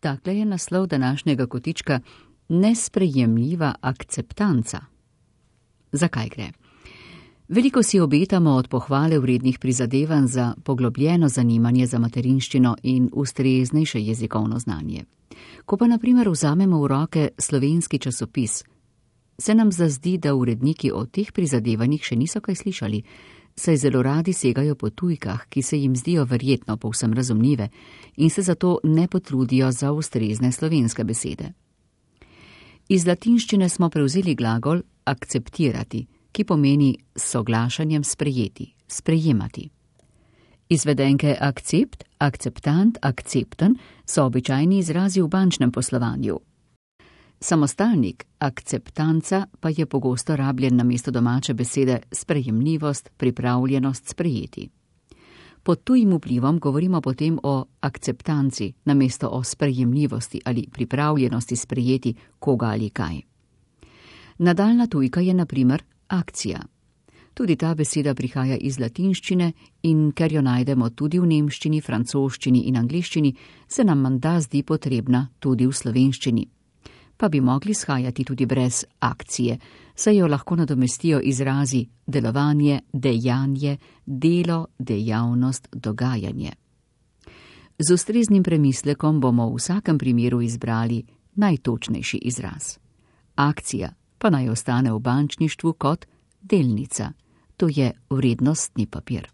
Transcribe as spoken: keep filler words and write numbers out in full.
Takle je naslov današnjega kotička Nesprejemljiva akceptanca. Zakaj gre? Veliko si obetamo od pohvale vrednih prizadevanj za poglobljeno zanimanje za materinščino in ustreznejše jezikovno znanje. Ko pa na primer vzamemo v roke slovenski časopis, se nam zazdi, da uredniki o teh prizadevanjih še niso kaj slišali, saj zelo radi segajo po tujkah, ki se jim zdijo verjetno povsem razumljive in se zato ne potrudijo za ustrezne slovenske besede. Iz latinščine smo prevzeli glagol akceptirati, ki pomeni s soglašanjem sprejeti, sprejemati. Izvedenke akcept, akceptant, akcepten so običajni izrazi v bančnem poslovanju. Samostalnik akceptanca pa je pogosto rabljen namesto domače besede sprejemljivost, pripravljenost sprejeti. Pod tujim vplivom govorimo potem o akceptanci namesto o sprejemljivosti ali pripravljenosti sprejeti koga ali kaj. Nadaljna tujka je na primer akcija. Tudi ta beseda prihaja iz latinščine in ker jo najdemo tudi v nemščini, francoščini in angliščini, se nam menda zdi potrebna tudi v slovenščini. Pa bi mogli shajati tudi brez akcije, saj jo lahko nadomestijo izrazi delovanje, dejanje, delo, dejavnost, dogajanje. Z ustreznim premislekom bomo v vsakem primeru izbrali najtočnejši izraz. Akcija pa naj ostane v bančništvu kot delnica, to je vrednostni papir.